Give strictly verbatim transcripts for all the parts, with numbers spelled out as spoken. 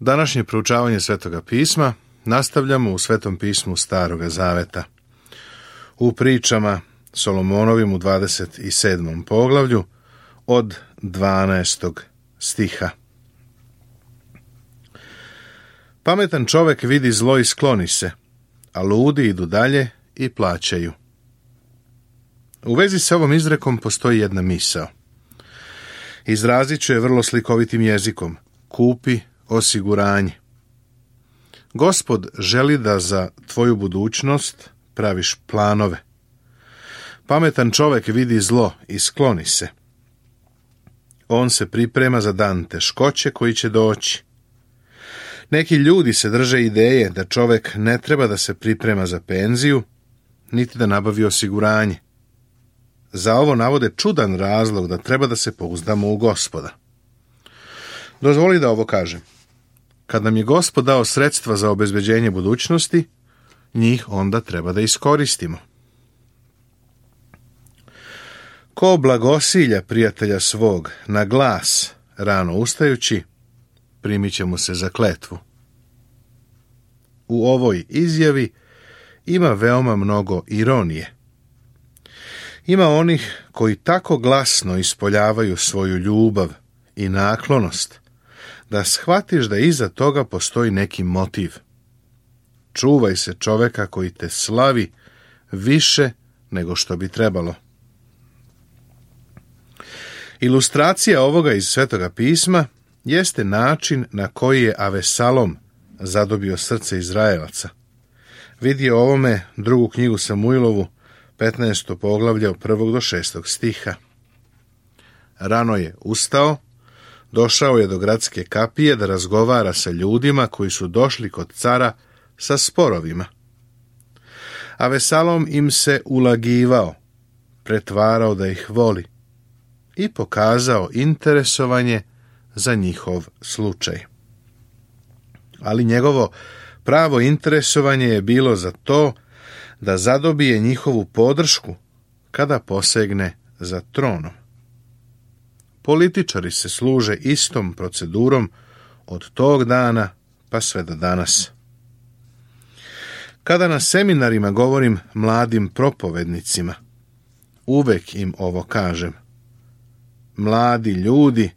Današnje proučavanje Svetoga pisma nastavljamo u Svetom pismu Staroga zaveta. U pričama Solomonovim u dvadeset sedmom poglavlju od dvanaestog stiha. Pametan čovek vidi zlo i skloni se, a ludi idu dalje i plaćaju. U vezi s ovom izrekom postoji jedna misao. Izrazit ću je vrlo slikovitim jezikom. Kupi osiguranje. Gospod želi da za tvoju budućnost praviš planove. Pametan čovek vidi zlo i skloni se. On se priprema za dan teškoće koji će doći. Neki ljudi se drže ideje da čovek ne treba da se priprema za penziju, niti da nabavi osiguranje. Za ovo navode čudan razlog da treba da se pouzdamo u Gospoda. Dozvoli da ovo kažem. Kad nam je Gospod dao sredstva za obezbeđenje budućnosti, njih onda treba da iskoristimo. Ko blagosilja prijatelja svog na glas rano ustajući, primit će mu se za kletvu. U ovoj izjavi ima veoma mnogo ironije. Ima onih koji tako glasno ispoljavaju svoju ljubav i naklonost, da shvatiš da iza toga postoji neki motiv. Čuvaj se čoveka koji te slavi više nego što bi trebalo. Ilustracija ovoga iz Svetoga pisma jeste način na koji je Avesalom zadobio srce Izraelaca. Vidi o ovome drugu knjigu Samuilovu, petnaesto poglavlje od prvog do šestog stiha. Rano je ustao, došao je do gradske kapije da razgovara sa ljudima koji su došli kod cara sa sporovima. Avesalom im se ulagivao, pretvarao da ih voli i pokazao interesovanje za njihov slučaj. Ali njegovo pravo interesovanje je bilo za to da zadobije njihovu podršku kada posegne za tronom. Političari se služe istom procedurom od tog dana pa sve do danas. Kada na seminarima govorim mladim propovednicima, uvek im ovo kažem. Mladi ljudi,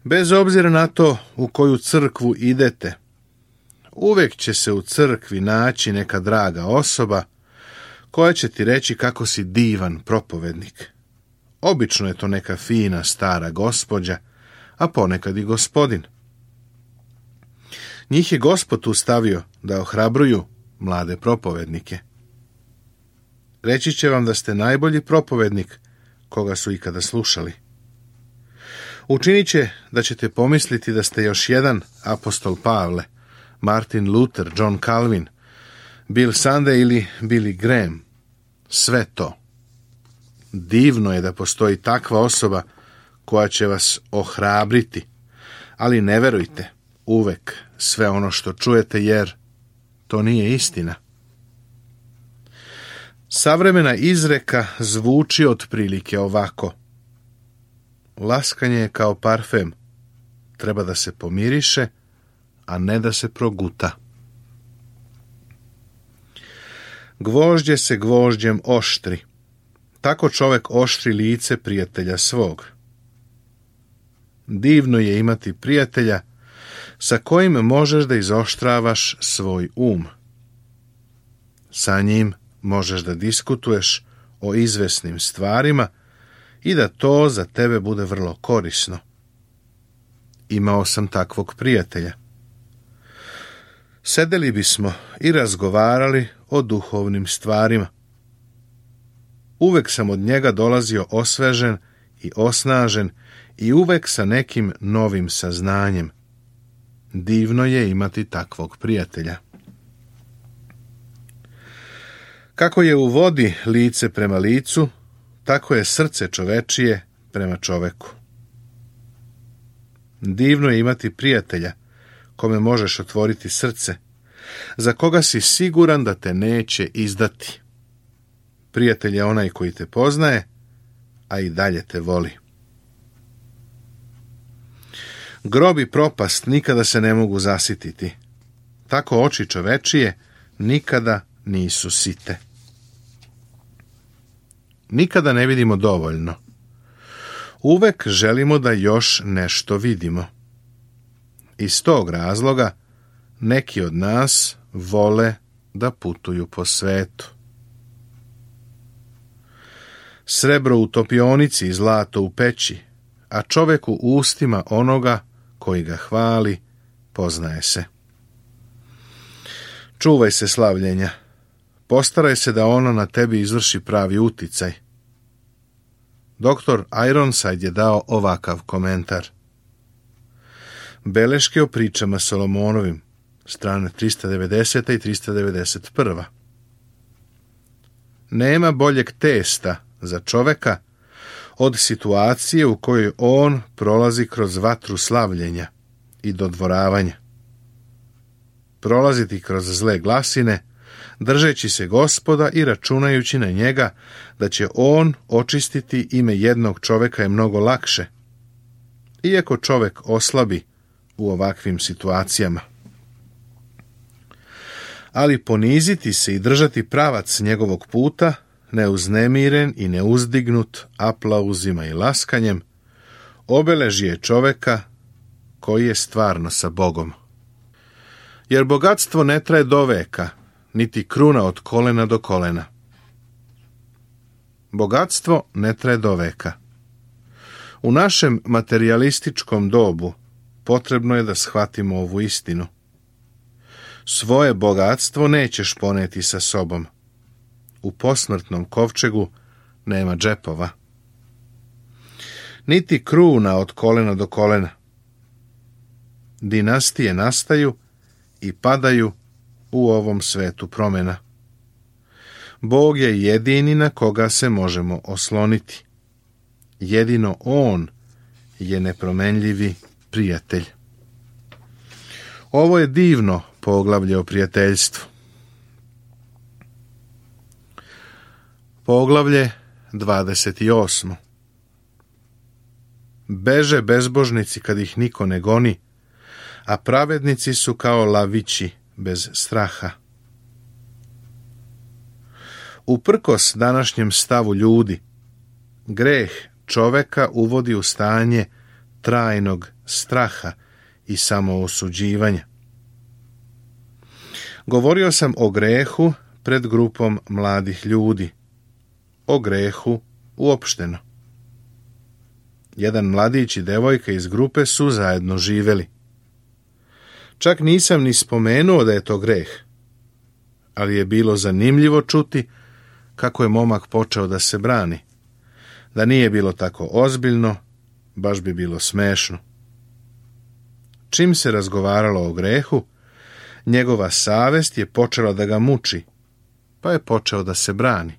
bez obzira na to u koju crkvu idete, uvek će se u crkvi naći neka draga osoba koja će ti reći kako si divan propovednik. Obično je to neka fina stara gospođa, a ponekad i gospodin. Njih je Gospod tu stavio da ohrabruju mlade propovednike. Reći će vam da ste najbolji propovednik koga su ikada slušali. Učinit će da ćete pomisliti da ste još jedan apostol Pavle, Martin Luther, John Calvin, Bill Sunday ili Billy Graham. Sve to. Divno je da postoji takva osoba koja će vas ohrabriti, ali ne verujte uvek sve ono što čujete, jer to nije istina. Savremena izreka zvuči otprilike ovako. Laskanje je kao parfem, treba da se pomiriše, a ne da se proguta. Gvožđe se gvožđem oštri. Tako čovek oštri lice prijatelja svog. Divno je imati prijatelja sa kojim možeš da izoštravaš svoj um. Sa njim možeš da diskutuješ o izvesnim stvarima i da to za tebe bude vrlo korisno. Imao sam takvog prijatelja. Sedeli bismo i razgovarali o duhovnim stvarima. Uvek sam od njega dolazio osvežen i osnažen i uvek sa nekim novim saznanjem. Divno je imati takvog prijatelja. Kako je u vodi lice prema licu, tako je srce čovečije prema čoveku. Divno je imati prijatelja kome možeš otvoriti srce, za koga si siguran da te neće izdati. Prijatelj je onaj koji te poznaje, a i dalje te voli. Grob i propast nikada se ne mogu zasititi. Tako oči čovečije nikada nisu site. Nikada ne vidimo dovoljno. Uvek želimo da još nešto vidimo. Iz tog razloga neki od nas vole da putuju po svetu. Srebro u topionici i zlato u peći, a čovek u ustima onoga koji ga hvali, poznaje se. Čuvaj se slavljenja. Postaraj se da ono na tebi izvrši pravi uticaj. Doktor Ironside je dao ovakav komentar. Beleške o pričama Solomonovim, strane trista devedeset i trista devedeset prva. Nema boljeg testa za čoveka od situacije u kojoj on prolazi kroz vatru slavljenja i dodvoravanja. Prolaziti kroz zle glasine, držeći se Gospoda i računajući na njega da će on očistiti ime jednog čoveka je mnogo lakše, iako čovek oslabi u ovakvim situacijama. Ali poniziti se i držati pravac njegovog puta, neuznemiren i neuzdignut aplauzima i laskanjem, obeležje čoveka koji je stvarno sa Bogom. Jer bogatstvo ne traje do veka, niti kruna od kolena do kolena. Bogatstvo ne traje do veka. U našem materijalističkom dobu potrebno je da shvatimo ovu istinu. Svoje bogatstvo nećeš poneti sa sobom. U posmrtnom kovčegu nema džepova. Niti kruna od kolena do kolena. Dinastije nastaju i padaju u ovom svetu promjena. Bog je jedini na koga se možemo osloniti. Jedino On je nepromenljivi prijatelj. Ovo je divno poglavlje o prijateljstvu. Poglavlje dvadeset osmo. Beže bezbožnici kad ih niko ne goni, a pravednici su kao lavići bez straha. Uprkos današnjem stavu ljudi, greh čoveka uvodi u stanje trajnog straha i samoosuđivanja. Govorio sam o grehu pred grupom mladih ljudi, o grehu uopšteno. Jedan mladić i devojka iz grupe su zajedno živeli. Čak nisam ni spomenuo da je to greh, ali je bilo zanimljivo čuti kako je momak počeo da se brani. Da nije bilo tako ozbiljno, baš bi bilo smešno. Čim se razgovaralo o grehu, njegova savest je počela da ga muči, pa je počeo da se brani.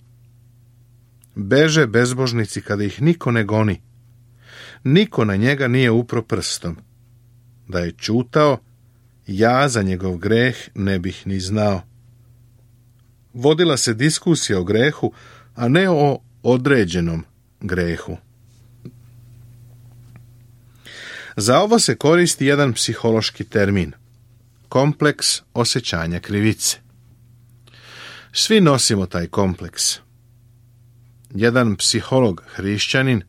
Beže bezbožnici kada ih niko ne goni. Niko na njega nije upro prstom. Da je ćutao, ja za njegov greh ne bih ni znao. Vodila se diskusija o grehu, a ne o određenom grehu. Za ovo se koristi jedan psihološki termin. Kompleks osjećanja krivice. Svi nosimo taj kompleks. Jedan psiholog hrišćanin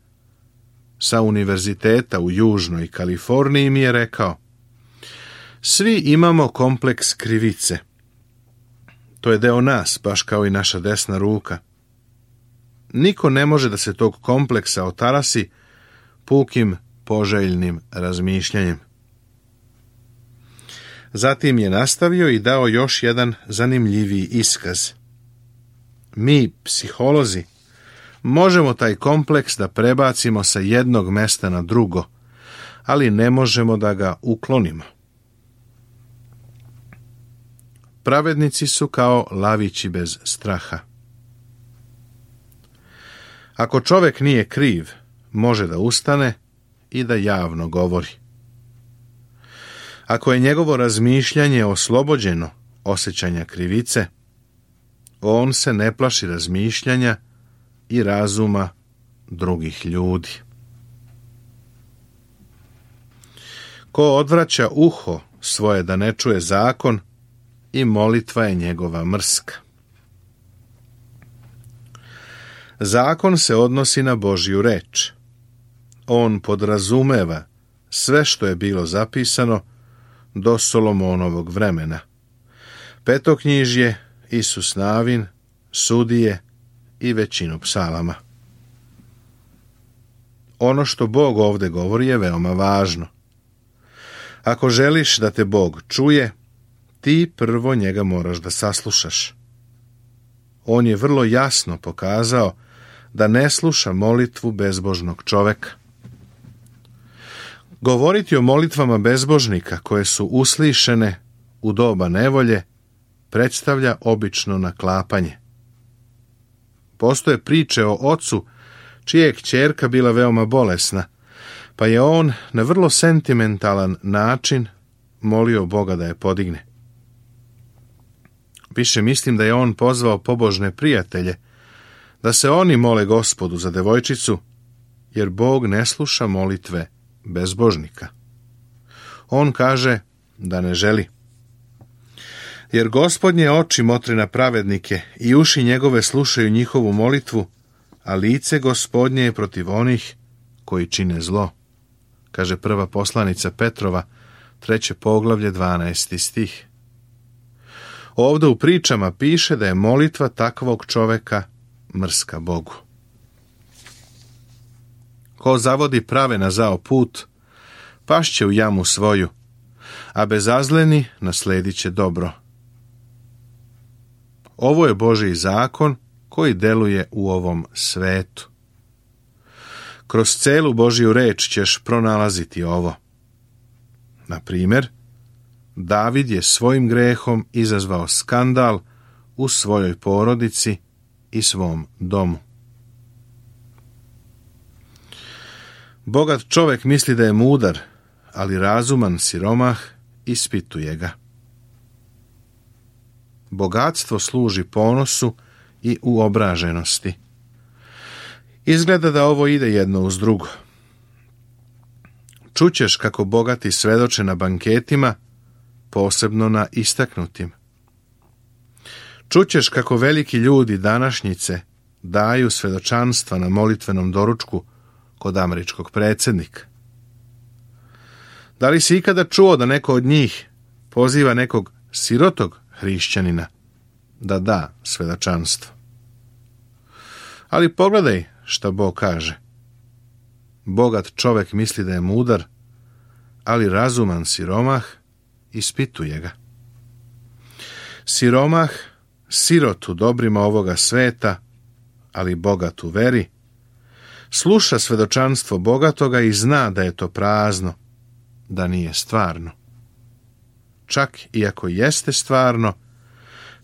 sa univerziteta u Južnoj Kaliforniji mi je rekao: svi imamo kompleks krivice. To je deo nas, baš kao i naša desna ruka. Niko ne može da se tog kompleksa otarasi pukim poželjnim razmišljanjem. Zatim je nastavio i dao još jedan zanimljiviji iskaz. Mi, psiholozi, možemo taj kompleks da prebacimo sa jednog mesta na drugo, ali ne možemo da ga uklonimo. Pravednici su kao lavići bez straha. Ako čovjek nije kriv, može da ustane i da javno govori. Ako je njegovo razmišljanje oslobođeno osjećanja krivice, on se ne plaši razmišljanja i razuma drugih ljudi. Ko odvraća uho svoje da ne čuje zakon, i molitva je njegova mrska. Zakon se odnosi na Božju reč. On podrazumeva sve što je bilo zapisano do Solomonovog vremena. Petoknjižje, Isus Navin, Sudije i većinu psalama. Ono što Bog ovdje govori je veoma važno. Ako želiš da te Bog čuje, ti prvo njega moraš da saslušaš. On je vrlo jasno pokazao da ne sluša molitvu bezbožnog čoveka. Govoriti o molitvama bezbožnika koje su uslišene u doba nevolje predstavlja obično naklapanje. Postoje priče o ocu čija je kćerka bila veoma bolesna, pa je on na vrlo sentimentalan način molio Boga da je podigne. Više mislim da je on pozvao pobožne prijatelje da se oni mole Gospodu za devojčicu, jer Bog ne sluša molitve bezbožnika. On kaže da ne želi. Jer Gospodnje oči motre na pravednike i uši njegove slušaju njihovu molitvu, a lice Gospodnje je protiv onih koji čine zlo, kaže prva poslanica Petrova, treće poglavlje, dvanaesti stih. Ovdje u pričama piše da je molitva takvog čoveka mrska Bogu. Ko zavodi prave na zao put, pašće u jamu svoju, a bezazleni nasledit će dobro. Ovo je Božji zakon koji deluje u ovom svetu. Kroz celu Božju reč ćeš pronalaziti ovo. Na primjer, David je svojim grehom izazvao skandal u svojoj porodici i svom domu. Bogat čovjek misli da je mudar, ali razuman siromah ispituje ga. Bogatstvo služi ponosu i uobraženosti. Izgleda da ovo ide jedno uz drugo. Čućeš kako bogati svedoče na banketima, posebno na istaknutim. Čućeš kako veliki ljudi današnjice daju svedočanstva na molitvenom doručku kod američkog predsjednika. Da li si ikada čuo da neko od njih poziva nekog sirotog hrišćanina da da svedočanstvo? Ali pogledaj šta Bog kaže. Bogat čovjek misli da je mudar, ali razuman siromah ispituje ga. Siromah, sirot u dobrima ovoga sveta, ali bogat u veri, sluša svedočanstvo bogatoga i zna da je to prazno, da nije stvarno. Čak i ako jeste stvarno,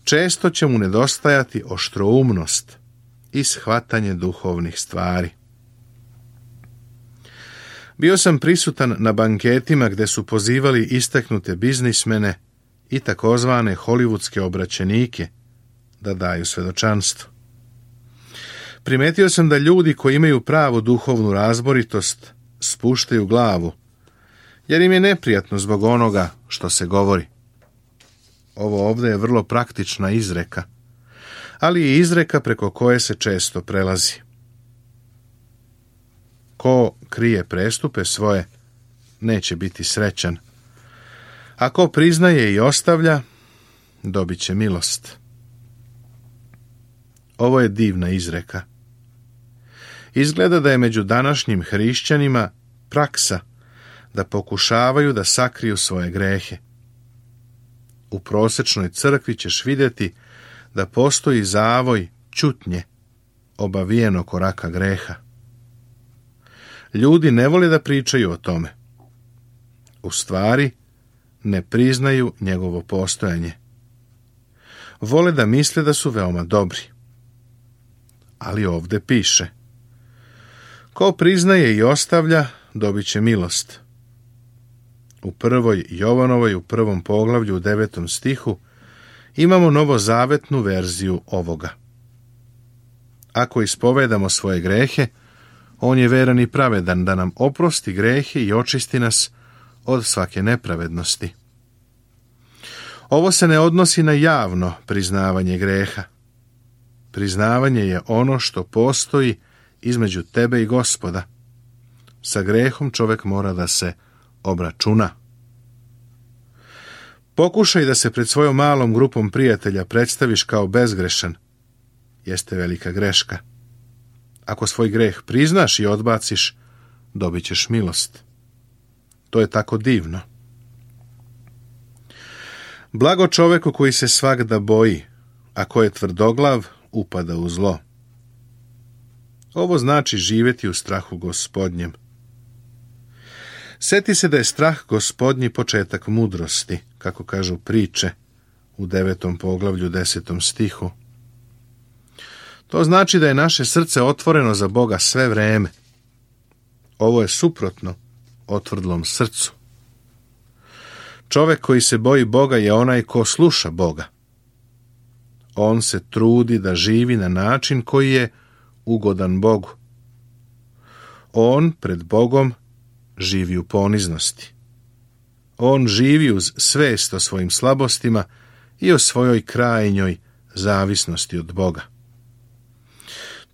često će mu nedostajati oštroumnost i shvatanje duhovnih stvari. Bio sam prisutan na banketima gdje su pozivali istaknute biznismene i takozvane hollywoodske obraćenike da daju svedočanstvo. Primetio sam da ljudi koji imaju pravu duhovnu razboritost spuštaju glavu, jer im je neprijatno zbog onoga što se govori. Ovo ovdje je vrlo praktična izreka, ali i izreka preko koje se često prelazi. Ko krije prestupe svoje, neće biti srećan. A ko priznaje i ostavlja, dobit će milost. Ovo je divna izreka. Izgleda da je među današnjim hrišćanima praksa da pokušavaju da sakriju svoje grehe. U prosječnoj crkvi ćeš vidjeti da postoji zavoj ćutnje obavijeno koraka greha. Ljudi ne vole da pričaju o tome. U stvari, ne priznaju njegovo postojanje. Vole da misle da su veoma dobri. Ali ovdje piše: ko priznaje i ostavlja, dobit će milost. U prvoj Jovanovoj, u prvom poglavlju, u devetom stihu, imamo novozavetnu verziju ovoga. Ako ispovedamo svoje grehe, on je veran i pravedan da nam oprosti grehe i očisti nas od svake nepravednosti. Ovo se ne odnosi na javno priznavanje greha. Priznavanje je ono što postoji između tebe i Gospoda. Sa grehom čovjek mora da se obračuna. Pokušaj da se pred svojom malom grupom prijatelja predstaviš kao bezgrešan. Jeste velika greška. Ako svoj greh priznaš i odbaciš, dobit ćeš milost. To je tako divno. Blago čoveku koji se svagda boji, a ko je tvrdoglav, upada u zlo. Ovo znači živjeti u strahu Gospodnjem. Sjeti se da je strah Gospodnji početak mudrosti, kako kažu priče u devetom poglavlju desetom stihu. To znači da je naše srce otvoreno za Boga sve vreme. Ovo je suprotno otvrdlom srcu. Čovjek koji se boji Boga je onaj ko sluša Boga. On se trudi da živi na način koji je ugodan Bogu. On pred Bogom živi u poniznosti. On živi uz svest o svojim slabostima i o svojoj krajnjoj zavisnosti od Boga.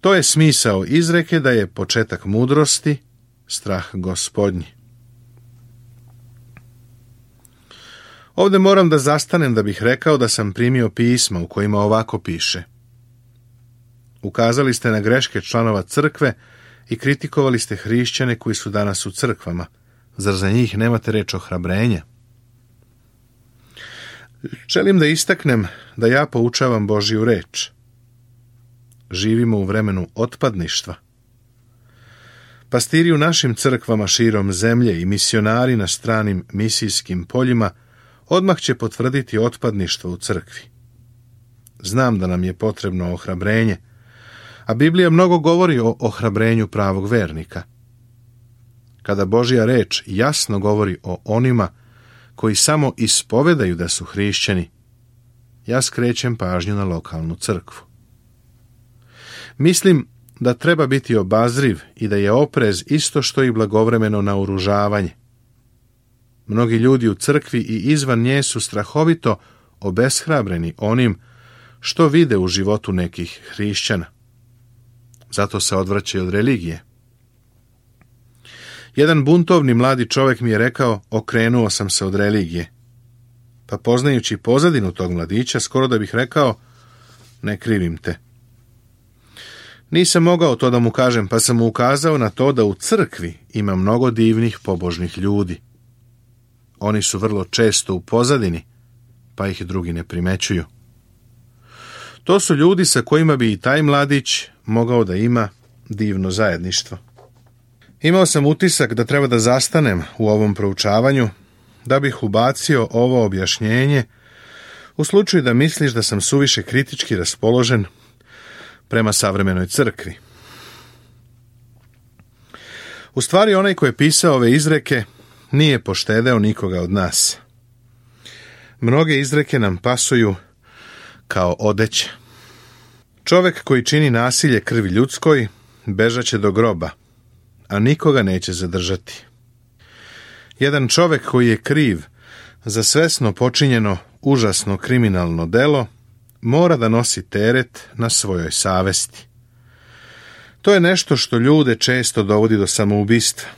To je smisao izreke da je početak mudrosti strah Gospodnji. Ovdje moram da zastanem da bih rekao da sam primio pisma u kojima ovako piše. Ukazali ste na greške članova crkve i kritikovali ste hrišćane koji su danas u crkvama. Zar za njih nemate reč ohrabrenja? Želim da istaknem da ja poučavam Božju reč. Živimo u vremenu otpadništva. Pastiri u našim crkvama širom zemlje i misionari na stranim misijskim poljima odmah će potvrditi otpadništvo u crkvi. Znam da nam je potrebno ohrabrenje, a Biblija mnogo govori o ohrabrenju pravog vernika. Kada Božja reč jasno govori o onima koji samo ispovedaju da su hrišćani, ja skrećem pažnju na lokalnu crkvu. Mislim da treba biti obazriv i da je oprez isto što i blagovremeno naoružavanje. Mnogi ljudi u crkvi i izvan nje su strahovito obeshrabreni onim što vide u životu nekih hrišćana. Zato se odvraćaju od religije. Jedan buntovni mladi čovjek mi je rekao, okrenuo sam se od religije. Pa poznajući pozadinu tog mladića, skoro da bih rekao, ne krivim te. Nisam mogao to da mu kažem, pa sam mu ukazao na to da u crkvi ima mnogo divnih pobožnih ljudi. Oni su vrlo često u pozadini, pa ih drugi ne primećuju. To su ljudi sa kojima bi i taj mladić mogao da ima divno zajedništvo. Imao sam utisak da treba da zastanem u ovom proučavanju, da bih ubacio ovo objašnjenje u slučaju da misliš da sam suviše kritički raspoložen prema savremenoj crkvi. U stvari, onaj ko je pisao ove izreke nije poštedeo nikoga od nas. Mnoge izreke nam pasuju kao odeća. Čovjek koji čini nasilje krvi ljudskoj bežaće do groba, a nikoga neće zadržati. Jedan čovjek koji je kriv za svesno počinjeno užasno kriminalno delo mora da nosi teret na svojoj savesti. To je nešto što ljude često dovodi do samoubistva.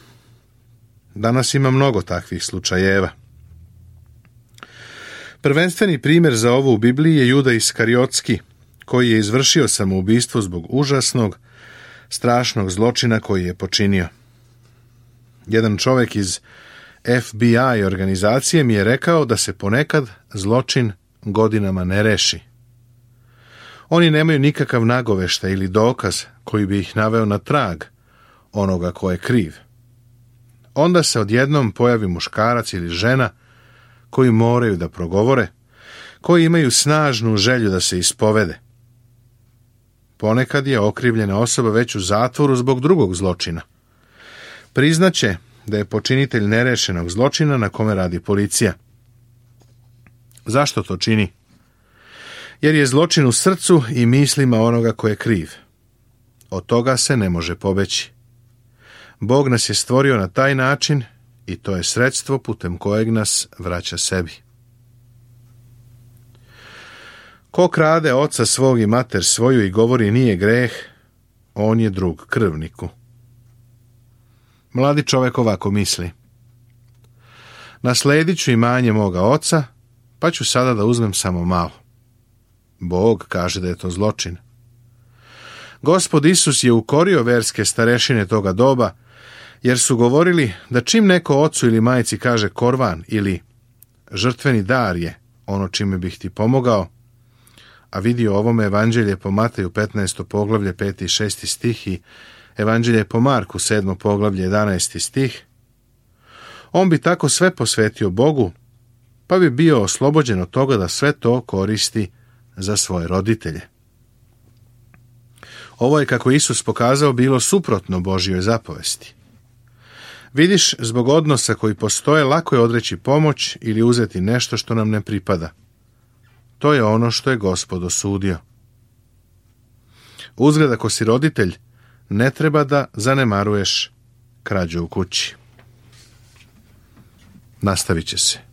Danas ima mnogo takvih slučajeva. Prvenstveni primjer za ovo u Bibliji je Juda Iskariotski, koji je izvršio samoubistvo zbog užasnog, strašnog zločina koji je počinio. Jedan čovjek iz F B I organizacije mi je rekao da se ponekad zločin godinama ne reši. Oni nemaju nikakav nagoveštaj ili dokaz koji bi ih naveo na trag onoga ko je kriv. Onda se odjednom pojavi muškarac ili žena koji moraju da progovore, koji imaju snažnu želju da se ispovede. Ponekad je okrivljena osoba već u zatvoru zbog drugog zločina. Priznaće da je počinitelj nerešenog zločina na kome radi policija. Zašto to čini? Jer je zločin u srcu i mislima onoga ko je kriv. Od toga se ne može pobeći. Bog nas je stvorio na taj način i to je sredstvo putem kojeg nas vraća sebi. Ko krade oca svog i mater svoju i govori nije greh, on je drug krvniku. Mladi čovjek ovako misli: nasledit ću imanje moga oca, pa ću sada da uzmem samo malo. Bog kaže da je to zločin. Gospod Isus je ukorio verske starešine toga doba, jer su govorili da čim neko ocu ili majci kaže korvan ili žrtveni dar je ono čime bih ti pomogao, a vidi o ovome Evanđelje po Mateju petnaesto poglavlje peti i šesti stih i Evanđelje po Marku sedmo poglavlje jedanaesti stih, on bi tako sve posvetio Bogu, pa bi bio oslobođen od toga da sve to koristi za svoje roditelje. Ovo je, kako Isus pokazao, bilo suprotno Božjoj zapovesti. Vidiš, zbog odnosa koji postoje, lako je odreći pomoć ili uzeti nešto što nam ne pripada. To je ono što je Gospod osudio. Uzgled, ako si roditelj, ne treba da zanemaruješ krađu u kući. Nastavit će se.